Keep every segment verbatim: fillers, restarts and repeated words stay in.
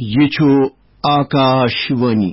یہِ چھُ آکاش وانی۔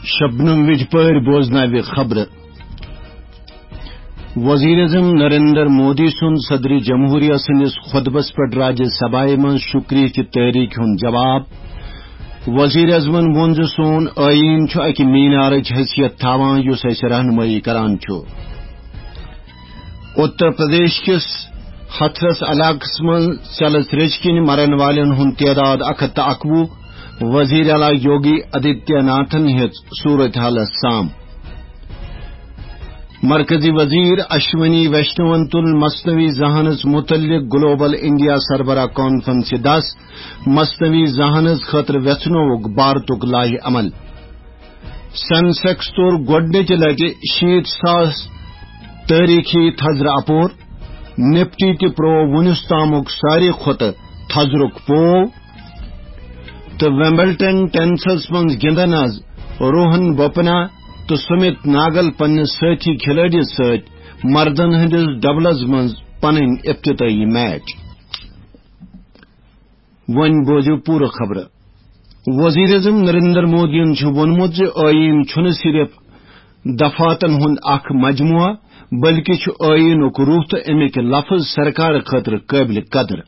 شبنم وجپٲرۍ بوزناوِ خبرٕ۔ وزیر اعظم نریندر مودی سُنٛد صدر جمہوریہ سٕنٛدِس خطبس پٮ۪ٹھ راجیہ سبھایہ منٛز شُکریہ چہِ تحریٖک ہُنٛد جواب۔ وزیر اعظمن ووٚن زِ سون ٲییٖن چھُ اکہِ مینارٕچ حیثیت تھاوان یُس اسہِ رہنمٲیی کران چھُ۔ اتر پردیش کِس ہتھرس علاقس منٛز ژیلہٕ تریٚچہِ کِنۍ مرن والٮ۪ن ہُنٛد تعداد اکھ ہتھ تہٕ اکوُہ، وزیر اعلیٰ یوگی آدتیہ ناتھن ہیٚژ صورتحالس سام۔ مرکزی وزیر اشونی ویشنون تُل مصنوعی ذہانس متعلق گلوبل انڈیا سربراہ کانفرنسہِ دس، مصنوعی ذہانس خٲطرٕ ویژھنووُکھ بھارتُک لائحہ عمل۔ سینسیکس توٚر گۄڈٕنِچہِ لٹہِ شیٖتھ ساس تٲریٖخی تھزرٕ اپور۔ نفٹی تہِ پروو وُنیُس تامُک ساروی کھۄتہٕ تھزرُک پوو۔ تہٕ ویمبلٹن ٹینسس منٛز گِنٛدن از روہن بوپنا تہٕ سمت ناگل پننِس سٲتھی کھلٲڑِس سۭتۍ مردن ہٕنٛدِس ڈبلس منٛز پنٕنۍ افتتاحی میچ۔ وۄنۍ بوزِو پوٗرٕ خبرٕ۔ وزیر اعظم نریندر مودیَن چھُ ووٚنمُت زِ ٲییٖن چھُنہٕ صرف دفعاتن ہُنٛد اکھ مجموعہ، بلکہِ چھُ ٲییٖنُک روح تہٕ اَمِکۍ لفظ سرکار خٲطرٕ قٲبلِ قدر۔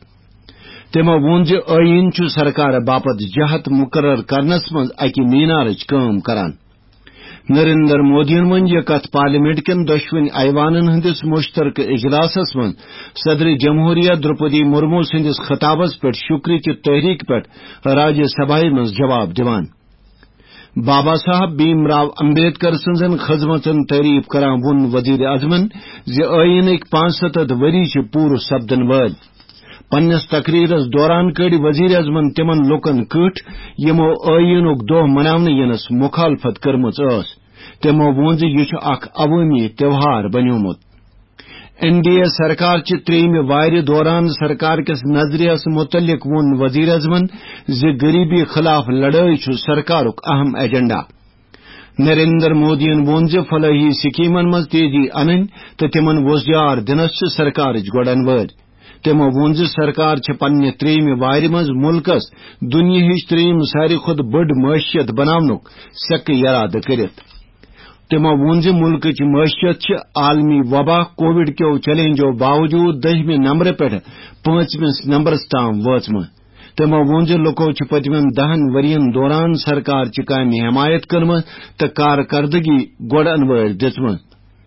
تٔمۍ ووٚن زِ ٲییٖن چھُ سرکار باپتھ جہت مقرر کرنس منٛز اکہِ مینارٕچ کٲم کران۔ نریندر مودیَن ووٚن یہِ کتھ پارلیمنٹ کٮ۪ن دۄشوٕنی ایوانن ہٕنٛدِس مشترکہٕ اجلاسس منٛز صدر جمہوریہ دروپدی مرمو سٕنٛدِس خطابس پٮ۪ٹھ شُکریہ چہِ تحریٖک پٮ۪ٹھ راجیہ سبھایہ منٛز جواب دِوان۔ بابا صاحب بھیم راو امبیڈکر سٕنٛزن خدمژن تعریف کران ووٚن وزیر اعظمن زِ ٲییٖنٕکۍ پانٛژھ ستتھ ؤری چھِ پوٗرٕ سپدن وٲلۍ۔ پننِس تقریرس دوران کٔڈۍ وزیر اعظمن تِمن لوٗکن کٔٹھۍ یِمو ٲییٖنُک دۄہ مناونہٕ یِنس مخالفت کٔرمٕژ ٲس۔ تِمو ووٚن زِ یہِ چھُ اکھ عوٲمی تہوار بنیومُت۔ این ڈی اے سرکار چہِ ترٛیٚیِمہِ وارِ دوران سرکار کِس نظریس متعلق ووٚن وزیر اعظمن زِ غریبی خلاف لڑٲے چھُ سرکارُک اہم ایجنڈا۔ نریندر مودیَن ووٚن زِ فلاحی سکیمن منٛز تیزی انٕنۍ تہٕ تِمن وۄزجار دِنس چھِ سرکارٕچ گۄڈن وٲرۍ۔ تِمو ووٚن زِ سرکار چھِ پننہِ ترٛیٚیِمہِ وارِ منٛز مُلکس دُنیاہٕچ ترٛیٚیِم ساروی کھۄتہٕ بٔڑ معیشت بناونُک سیٚکہٕ یرادٕ کٔرِتھ۔ تِمو ووٚن زِ مُلکٕچ معیشت چھِ عالمی وبا کووڈ کیو چیلنجو باوجود دٔہمہِ نمبرٕ پٮ۪ٹھ پٲنٛژمِس نمبرس تام وٲژمٕژ۔ تِمو ووٚن زِ لُکو چھِ پٔتمٮ۪ن دَہَن ؤرین دوران سرکار چہِ کامہِ حمایت کٔرمٕژ تہٕ کارکردگی گۄڈ انوٲرۍ دِژمٕژ۔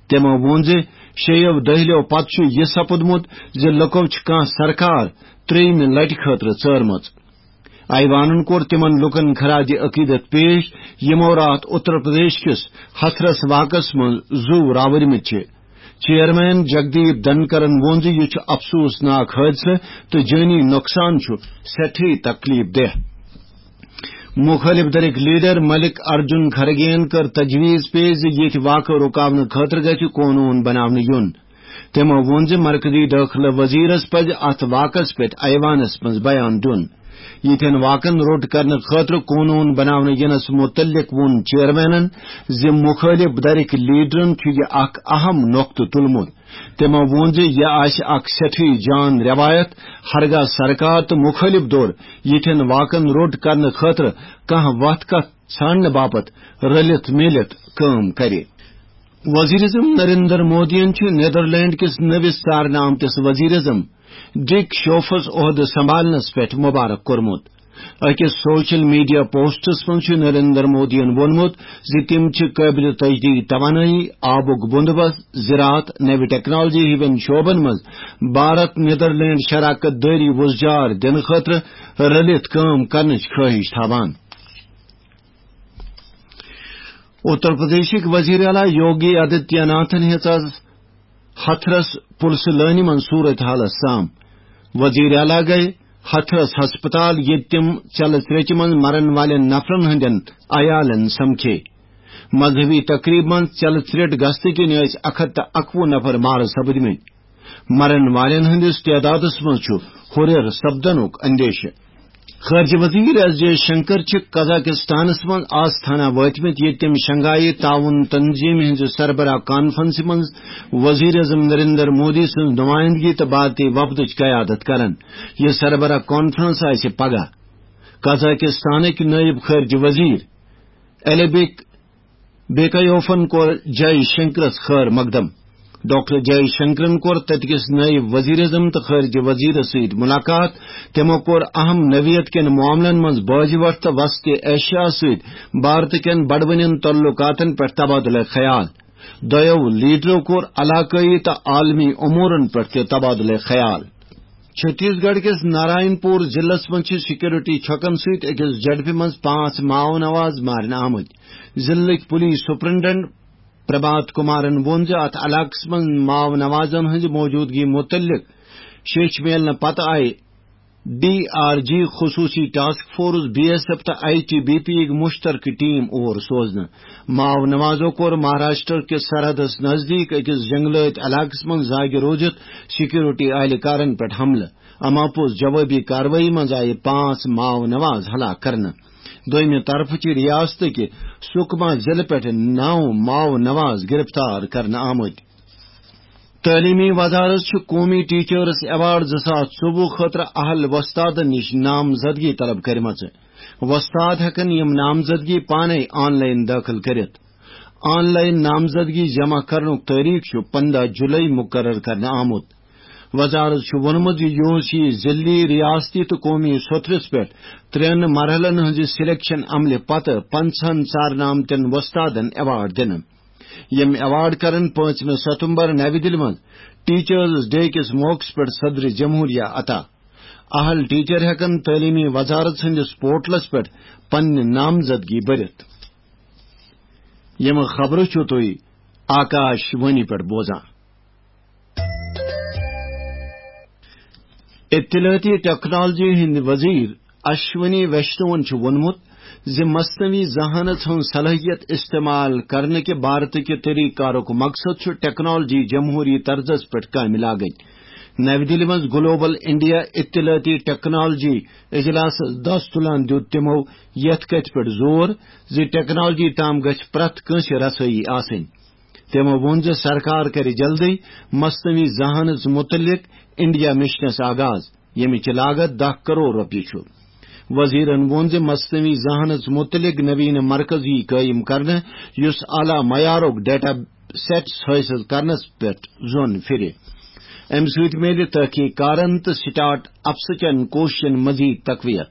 تِمو ووٚن زِ شیٚیو دٔہلیو پتہٕ چھُ یہِ سپُدمُت زِ لُکو چھِ کانٛہہ سرکار ترٛیٚیِمہِ لٹہِ خٲطرٕ ژٲرمٕژ۔ ایوانن کوٚر تِمن لوٗکن خراج عقیدت پیش، یِمو راتھ اتر پردیش کِس ہتھرس واقعس منٛز زُو راوٕرمٕتۍ چھِ۔ چیئرمین جگدیپ دھنکرن ووٚن زِ یہِ چھُ افسوسناک حٲدثہٕ تہٕ جٲنی نۄقصان چھُ سٮ۪ٹھٕے تکلیف دہ۔ مخٲلف دھرٕکۍ لیڈر ملک ارجن کھرگین کٔر تجویز پیش زِ ییٚتہِ واقعہٕ رُکاونہٕ خٲطرٕ گژھِ قونوٗن بناونہٕ یُن۔ تٔمۍ ووٚن زِ مرکزی دٲخلہٕ وزیرس پزِ اتھ واقعس پٮ۪ٹھ ایوانس منٛز بیان دیُن۔ یِتھٮ۪ن واقعن روٚٹ کرنہٕ خٲطرٕ قونوٗن بناونہٕ یِنس مُتعلق ووٚن چیئرمینن زِ مُخٲلِف دھرٕکۍ لیڈرن چھُ یہِ اکھ اہم نۄقطہٕ تُلمُت۔ تٔمۍ ووٚن زِ یہِ آسہِ اکھ سٮ۪ٹھٕے جان رٮ۪وایت، ہرگاہ سرکار تہٕ مُخٲلِف دھر یِتھٮ۪ن واقعن روٚٹ کرنہٕ خٲطرٕ کانٛہہ وتھ کتھ ژھانڈنہٕ باپتھ رلِتھ میٖلِتھ کٲم کرِ۔ وزیر اعظم نریندر مودیَن چھُ نیدرلینڈ کِس نٔوِس ژارنہٕ آمتِس وزیر اعظم ڈک شوفس عہدٕ سنبھالنس پٮ۪ٹھ مبارک کوٚرمُت۔ أکِس سوشل میڈیا پوسٹس منٛز چھُ نریندر مودیَن ووٚنمُت زِ تِم چھِ قٲبلِ تجدید توانٲیی، آبُک بندوبست، زراعت، نوِ ٹیکنالوجی ہِوٮ۪ن شعبن منٛز بھارت نیدرلینڈ شراکت دٲری وۄزجار دِنہٕ خٲطرٕ رٔلِتھ کٲم کرنٕچ خٲہِش تھاوان۔ اتر پردیشٕکۍ وزیر اعلیٰ یوگی آدتیہ ناتھن ہیٚژ از ہتھرس پُلسہٕ لٲنہِ منٛز صورت حالس سام۔ وزیر اعلیٰ گٔیہِ ہتھرس ہسپتال، ییٚتہِ تِم ژیلہٕ تریٚچہِ منٛز مرن والٮ۪ن نفرن ہٕنٛدٮ۪ن عیالن سمکھے۔ مذہبی تقریب منٛز ژیلہٕ تریٚٹ گژھنہٕ کِنۍ ٲسۍ اکھ ہتھ تہٕ اکوُہ نفر مارٕ سپٕدمٕتۍ۔ مرن والٮ۪ن ہٕنٛدِس تعدادس منٛز چھُ ہُرٮ۪ر سپدنُک اندیشہٕ۔ خارجہ وزیر ایس جے شنکر چھِ قزاقستانس منٛز آستانہ وٲتمٕتۍ، ییٚتہِ تٔمۍ شنگھائی تعاون تنظیمہِ ہٕنٛزِ سربراہ کانفرنسہِ منٛز وزیر اعظم نریندر مودی سٕنٛز نمائندگی تہٕ بھارتی وفدٕچ قیادت کرن۔ یہِ سربراہ کانفرنس آسہِ پگاہ۔ قزاقستانٕکۍ نائب خارجہ وزیر الیبک بیکایوفن کوٚر جے شنکرس خیر مقدم۔ ڈاکٹر جے شنکرن کوٚر تتہِ کِس نائب وزیر اعظم تہٕ خارجہ وزیرس سۭتۍ ملاقات۔ تِمو کوٚر اہم نوعیت کٮ۪ن معاملن منٛز باجہِ وٹھ تہٕ وسطی ایشیا سۭتۍ بھارت کٮ۪ن بڑوٕنٮ۪ن تعلقاتن پٮ۪ٹھ تبادلہ خیال۔ دۄیو لیڈرو کوٚر علاقٲیی تہٕ عالمی امورن پٮ۪ٹھ تہِ تبادلہ خیال۔ چھتیس گڑھ کِس نارائن پور ضلعس منٛز چھِ سیکورٹی چھۄکن سۭتۍ أکِس جھڑپہِ منٛز پانٛژھ ماؤ نواز مارنہٕ آمٕتۍ۔ ضلعٕکۍ پولیس سپرنٹنڈنٹ پربھات کمارن ووٚن زِ اتھ علاقس منٛز ماؤ نوازن ہٕنٛزِ موجودگی متعلق شیٚچھ میلنہٕ پتہٕ آیہِ ڈی آر جی خصوصی task force, B S F تہٕ آئی ٹی بی پی یٕکۍ مشترکہٕ ٹیم اور سوزنہٕ۔ ماؤ نوازو کوٚر مہاراشٹر کِس سرحدس نزدیک أکِس جنگلٲتۍ علاقس منٛز زاگہِ روٗزِتھ سیکورٹی اہلکارن پٮ۪ٹھ حملہٕ۔ اما پوٚز جوابی کاروٲیی منٛز آیہِ پانٛژھ ماؤ نواز ہلاک کرنہٕ۔ دوٚیمہِ طرفہٕ چھِ ریاستٕکہِ سکما ضلعہٕ پٮ۪ٹھ نو ماؤ نواز گرفتار کرنہٕ آمٕتۍ۔ تعلیمی وزارت چھُ قومی ٹیچرز ایوارڈ زٕ ساس ژوٚوُہ خٲطرٕ اہل وۄستادن نِش نامزدگی طلب کٔرمٕژ۔ وۄستاد ہٮ۪کن یِم نامزدگی پانے آن لائن دٲخل کٔرِتھ۔ آن لائن نامزدگی جمع کرنُک تٲریخ چھُ پنٛداہ جولائی مقرر کرنہٕ آمُت۔ وزارت چھُ ووٚنمُت زِ یہِ اوس یہِ ضلعی، ریاستی تہٕ قومی سطحس پٮ۪ٹھ ترٛٮ۪ن مرحلن ہٕنٛزِ سلیکشن عملہِ پتہٕ پنٛژاہن ژارنہٕ آمتٮ۪ن وۄستادن ایوارڈ دِنہٕ۔ یِم ایوارڈ کرن پانٛژمہِ ستمبر نَوِ دِلہِ منٛز ٹیچرز ڈے کِس موقعس پٮ۪ٹھ صدر جمہوریہ عطا۔ اہل ٹیچر ہٮ۪کن تعلیمی وزارت سٕنٛدِس پورٹلس پٮ۪ٹھ پننہِ نامزدگی بٔرِتھ۔ یِم خبرٕ چھِو تُہۍ آکاش وانی پٮ۪ٹھ بوزان۔ اطلاعاتی ٹیکنالوجی ہٕنٛدۍ وزیر اشونی ویشنوَن چھُ ووٚنمُت زِ مصنوعی ذہانت ہٕنٛز صلٲحیت استعمال کرنہٕ کہِ بھارتہٕ کہِ طریقہٕ کارُک مقصد چھُ ٹیکنالوجی جمہوری طرزس پٮ۪ٹھ کامہِ لاگٕنۍ۔ نَوِ دِلہِ منٛز گلوبل انڈیا اطلاعاتی ٹیکنالوجی اجلاسس دَس تُلان دیُت تِمو یَتھ کَتھِ پٮ۪ٹھ زور زِ ٹیکنالوجی تام گژھِ پرٛٮ۪تھ کٲنٛسہِ رسٲیی آسٕنۍ۔ تِمو ووٚن زِ سرکار کرِ جلدٕے مصنوعی ذہانت متعلق انڈیا مشنس آغاز، ییٚمِچ لاگت دَہ کرور رۄپیہِ چھُ۔ وزیرن ووٚن زِ مصنوعی ذہانت متعلق نویٖن مرکز یی قٲیِم کرنہٕ، یُس اعلیٰ معیارُک ڈیٹا سیٹس حٲصِل کرنس پٮ۪ٹھ زۄن پھرِ۔ امہِ سۭتۍ میلہِ تحقیق کارن تہٕ سٹارٹ اپس کٮ۪ن کوٗششن مزید تقویت۔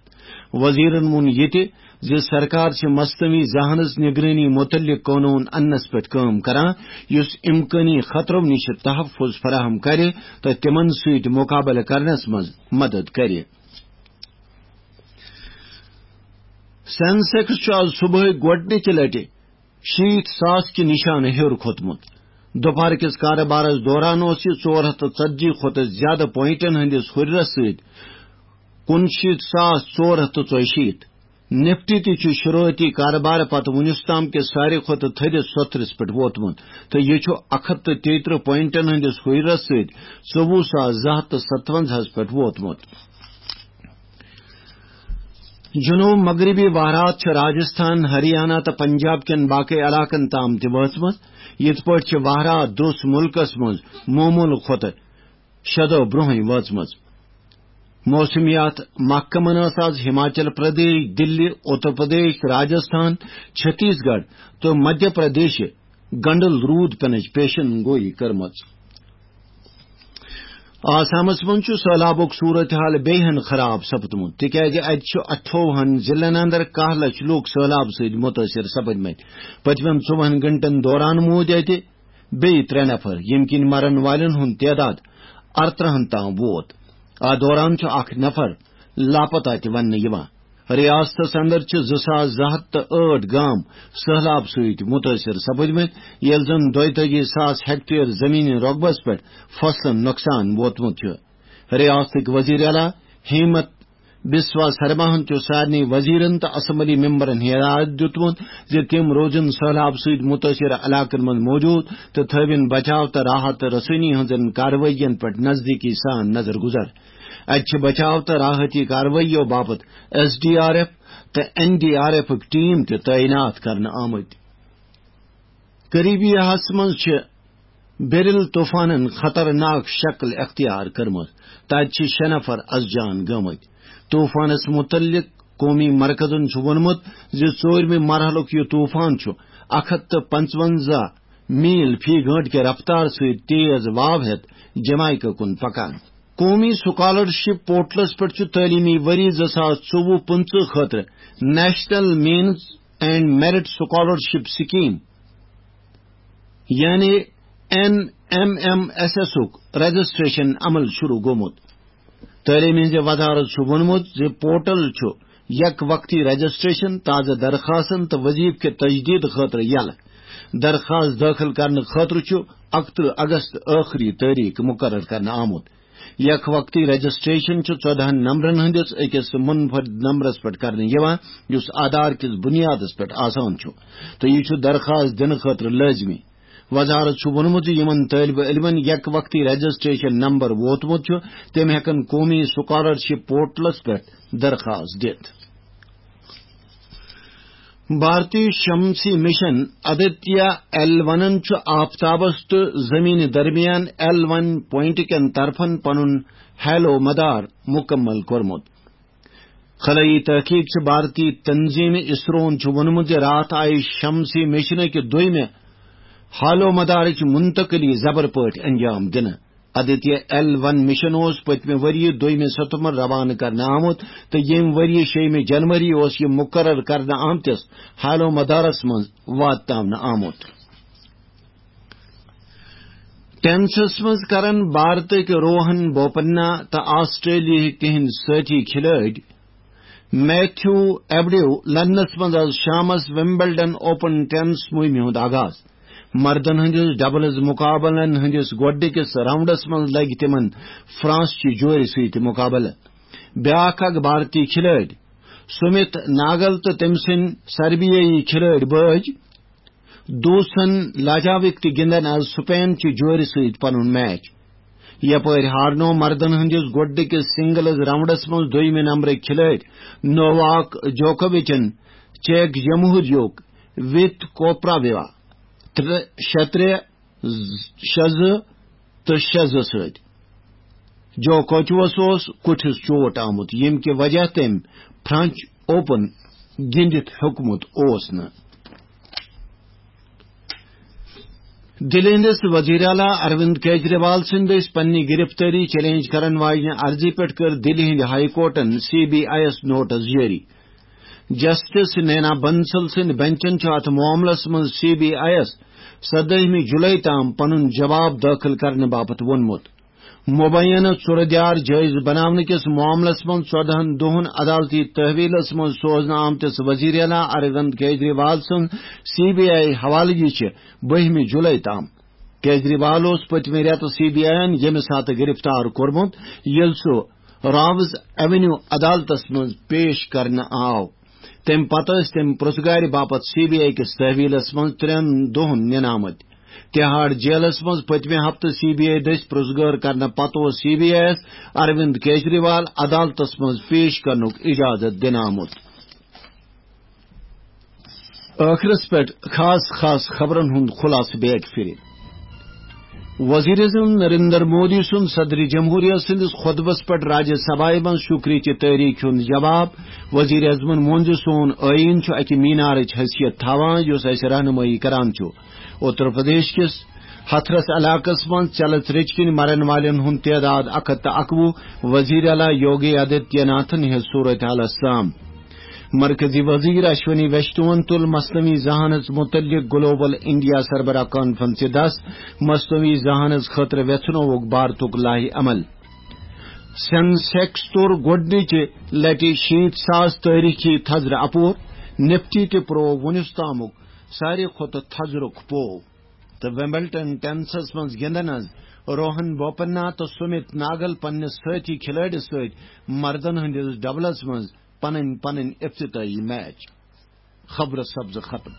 وزیرن ووٚن یہِ تہِ زِ سرکار چھِ مصنوعی ذہانت نگرٲنی متعلق قونوٗن اننس پٮ۪ٹھ کٲم کران، یُس امکٲنی خطرو نِش تحفظ فراہم کرِ تہٕ تِمن سۭتۍ مقابلہٕ کرنس منٛز مدد کرِ۔ سینسیکس چھُ آز صبحٲے گۄڈٕنِچہِ لٹہِ شیٖتھ ساس کہِ نشانہٕ ہیوٚر کھوٚتمُت۔ دُپہر کِس کارٕبارس دوران اوس یہِ ژور ہتھ تہٕ ژتجی کھۄتہٕ زیادٕ پوینٹن ہٕنٛدِس ہُرِرس سۭتۍ کُنشیٖتھ ساس ژور ہتھ تہٕ ژۄیہِ شیٖتھ۔ نفٹی تہِ چھُ شروعٲتی کارٕبارٕ پتہٕ وُنیُس تام کِس ساروی کھۄتہٕ تھٔدِس سوٚتھرِس پٮ۪ٹھ ووتمُت تہٕ یہِ چھُ اکھ ہتھ تہٕ تیٚیہِ ترٕٛہ پوینٹن ہٕنٛدِس ہُرِرس سۭتۍ ژوٚوُہ ساس زٕ ہتھ تہٕ ستونزاہس پٮ۪ٹھ ووتمُت۔ جنوب مغربی وہرات چھِ راجستھان، ہریانہ تہٕ پنجاب کٮ۪ن باقٕے علاقن تام تہِ وٲژمٕژ۔ یِتھ پٲٹھۍ چھِ وہرات درٛوس مُلکس منٛز معموٗلہٕ کھۄتہٕ شےٚ دۄہ برٛونٛہٕے وٲژمٕژ۔ موسمیات محکمن ٲس آز ہماچل پردیش، دِلی، اُتر پردیش، راجستھان، چھتیس گڑھ تہٕ مدھیہ پردیشہِ گنڈل روٗد پینٕچ پیشن گویی کٔرمٕژ۔ آسامس منٛز چھُ سٔہلابُک صورت حال بیٚیہِ ہن خراب سپدمُت، تِکیازِ اتہِ چھُ اَٹھووُہن ضلعن اندر کاہ لچھ لوٗکھ سٔہلاب سۭتۍ مُتٲثر سپدمٕتۍ۔ پٔتمٮ۪ن ژوٚوُہن گھنٹن دوران موٗدۍ اتہِ بیٚیہِ ترٛےٚ نفر، ییٚمہِ کِنۍ مرن والٮ۪ن ہُنٛد تعداد ارترٕہن تام ووت۔ اتھ دوران چھُ اکھ نفر لاپتہ تہِ وننہٕ یِوان۔ ریاستس اندر چھِ زٕ ساس زٕ ہتھ تہٕ ٲٹھ گام سٔہلاب سۭتۍ مُتٲثر سپٕدمٕتۍ، ییٚلہِ زن دۄیتٲجی ساس ہیکٹر زمینی رۄقبس پٮ۪ٹھ فصلن نۄقصان ووتمُت چھُ۔ ریاستٕکۍ وزیر اعلیٰ ہیمنت بسوا سرماہن چھُ سارنٕے وزیرن تہٕ اسمبلی ممبرن ہدایت دیُتمُت زِ تِم روزن سہلاب سۭتۍ مُتٲثر علاقن منٛز موجود تہٕ تھٲوِن بچاو تہٕ راحت تہٕ رسٲنی ہٕنٛزن کاروٲیین پٮ۪ٹھ نزدیٖکی سان نظر گُزر۔ اتہِ چھِ بچاو تہٕ راحتی کاروٲییو باپتھ ایس ڈی آر ایف تہٕ این ڈی آر ایفٕکۍ ٹیٖم تہِ تعینات کرنہٕ آمٕتۍ۔ قریبی ہس منٛز چھِ بیرل طوفانن خطرناک شکل اختیار کٔرمٕژ۔ تتہِ چھِ شےٚ نفر از جان گٲمٕتۍ۔ طوفانس متعلق قومی مرکزن چھُ ووٚنمُت زِ ژوٗرمہِ مرحلُک یہِ طوفان چھُ اکھ ہتھ تہٕ پنٛژونٛزاہ میل فی گٲنٹہٕ کہِ رفتار سۭتۍ تیز واو ہٮ۪تھ جمائیکا کُن پکان۔ قومی سکالرشپ پورٹلس پٮ۪ٹھ چھُ تعلیمی ؤری زٕ ساس ژوٚوُہ پٕنٛژٕہ خٲطرٕ national means and merit scholarship scheme, یعنی این ایم ایم ایس ایسُک رجسٹریشن عمل شروع گوٚمُت۔ تعلیٖم ہٕنٛزِ وزارت چھُ ووٚنمُت زِ پورٹل چھُ یک وقتی رجسٹریشن، تازٕ درخاستن تہٕ وظیفہٕ کہِ تجدید خٲطرٕ یلہٕ۔ درخاست دٲخل کرنہٕ خٲطرٕ چھُ اکترٕہ اگست ٲخری تٲریخ مقرر کرنہٕ آمُت۔ یک وقتی رجسٹریشن چھُ ژۄدہن نمبرن ہٕنٛدِس أکِس منفرد نمبرس پٮ۪ٹھ کرنہٕ یِوان، یُس آدھار کِس بُنیادس پٮ۪ٹھ آسان چھُ، تہٕ یہِ چھُ درخاست دِنہٕ خٲطرٕ لٲزمی۔ وزارت چھُ ووٚنمُت زِ یِمن طٲلبہِ علمن یک وقتی رجسٹریشن نمبر ووتمُت چھُ، تِم ہٮ۪کن قومی سکالرشپ پورٹلس پٮ۪ٹھ درخاست دِتھ۔ بھارتی شمسی مشن آدتیہ ایل ونن چھُ آفتابس تہٕ زمینہِ درمیان ایل ون پوائنٹ کٮ۪ن طرفن پنُن ہیلو مدار مکمل کوٚرمُت۔ خلائی تحقیق چھِ بھارتی تنظیم اسروہن چھُ ووٚنمُت زِ راتھ آیہِ شمسی مشنہٕ کہِ دوٚیمہِ ہالو مدارٕچ منتقلی زبر پٲٹھۍ انجام دِنہٕ۔ آدتیہ ایل ون مشن اوس پٔتمہِ ؤریہِ دوٚیمہِ ستمبر روانہٕ کرنہٕ آمُت تہٕ ییٚمہِ ؤریہِ شیٚیِمہِ جنوری اوس یہِ مقرر کرنہٕ آمتِس ہالو مدارس منٛز واتناونہٕ آمُت۔ ٹینسس منٛز کرن بھارتٕکۍ روہن بوپننا تہٕ آسٹریلیاہٕکۍ تِہنٛدۍ سٲتھی کھلٲڑۍ میتھیو ایبڈیو لندنس منٛز آز شامس ومبلڈن اوپن ٹینس مُہِمہِ ہُنٛد آغاز۔ مردن ہٕنٛدِس ڈبلز مقابلن ہٕنٛدِس گۄڈٕنِکِس راؤنڈس منٛز لگہِ تِمن فرانس چہِ جورِ سۭتۍ مقابلہٕ۔ بیٛاکھ اکھ بھارتی کھلٲڑۍ سُمِت ناگل تہٕ تٔمۍ سٕنٛدۍ سربیٲیی کھلٲڑۍ بٲج دوسن لاجاوِک تہِ گِنٛدن آز سپین چہِ جورِ سۭتۍ پنُن میچ۔ یپٲرۍ ہارنو مردن ہٕنٛدِس گۄڈٕنِکِس سنگلز راؤنڈس منٛز دوٚیمہِ نمبرٕکۍ کھلٲڑۍ نوواک جوکووِچن چیک جمہوریُک وِت کوپراویوا ترٛےٚ، شےٚ ترٛےٚ، شےٚ زٕ تہٕ شےٚ زٕ سۭتۍ۔ جوکوچوس اوس کُٹھِس چوٹ آمُت، ییٚمہِ کہِ وجہ تٔمۍ فرنچ اوپن گِنٛدِتھ ہیوٚکمُت اوس نہٕ۔ دِلہِ ہٕنٛدِس وزیر اعلیٰ اروند کیجریوال سٕنٛدِ دٔسۍ پننہِ گرفتٲری چیلنج کرن واجنہِ عرضی پٮ۪ٹھ کٔر دِلہِ ہٕنٛدِ ہائی کورٹن سی بی آئی یَس نوٹس جٲری۔ جسٹس نینا بنسل سٕنٛدِ بنچن چھُ اتھ معاملس منٛز سی بی آئی یَس سدٲہمہِ جولائی تام پنُن جواب دٲخل کرنہٕ باپتھ ووٚنمُت۔ مبینہ ژُرٕ دیار جٲیز بناونہٕ کِس معاملس منٛز ژۄدہن دۄہن عدالتی تحویلس منٛز سوزنہٕ آمتِس وزیر اعلیٰ اروند کیجریوال سٕنٛز سی بی آئی حوالگی چھِ بٔہمہِ جولائی تام۔ کیجریوال اوس پٔتمہِ رٮ۪تہٕ سی بی آئی یَن ییٚمہِ ساتہٕ گرفتار کوٚرمُت، ییٚلہِ سُہ راوز ایونیو عدالتس منٛز پیش کرنہٕ آو۔ تَمہِ پتہٕ ٲسۍ تٔمۍ پرٛژھگارِ باپتھ سی بی آئی کِس تحویلس منٛز ترٛٮ۪ن دۄہن نِنہٕ آمٕتۍ۔ تِہاڑ جیلس منٛز پٔتمہِ ہفتہٕ سی بی آئی دٔسۍ پرٛژھگٲر کرنہٕ پتہٕ اوس سی بی آئی یَس اروند کیجریوال عدالتس منٛز پیش کرنُک اجازت دِنہٕ آمُت۔ ٲخرس پٮ۪ٹھ خاص خاص خبرن ہُنٛد خلاصہٕ بیگ پھِرِ۔ وزیر اعظم نریندر مودی سُنٛد صدر جمہوریہ سٕنٛدِس خطبس پٮ۪ٹھ راجیہ سبھایہ منٛز شُکریہ چہِ تٲریٖخ ہُنٛد جواب۔ وزیر اعظمن ووٚن زِ سون ٲیٖن چھُ اکہِ مینارٕچ حیثیت تھاوان، یُس اَسہِ رہنمٲیی کران چھُ۔ اتر پردیش کِس ہتھرس علاقس منٛز ژیلہٕ ترٛیٚچ کِنۍ مرن والٮ۪ن ہُنٛد تعداد اکھ ہتھ تہٕ اکوُہ۔ وزیر اعلیٰ یوگی آدتیہ ناتھن ہیٚژ صورت حالس سام۔ مرکزی وزیر اشونی ویشنوَن تُل مصنوعی ذہانت متعلق گلوبل انڈیا سربراہ کانفرنسہِ دس۔ مصنوعی ذہانت خٲطرٕ ویژھنووُکھ بھارتُک لائحہ عمل۔ سینسیکس توٚر گۄڈٕنِچہِ لٹہِ شیٖتھ ساس تٲریخی تھزرٕ اپور۔ نفٹی تہِ پروو وُنیُس تامُک ساروی کھۄتہٕ تھزرُک پوو۔ تہٕ وِمبلڈن ٹینسس منٛز گِنٛدن آز روہن بوپنہ تہٕ سُمِت ناگل پننِس سٲتھی کھلٲڑِس سۭتۍ مردن ہٕنٛدِس ڈبلس منٛز پنٕنۍ پنٕنۍ افتتاحی میچ۔ خبرٕ سبزٕ ختم۔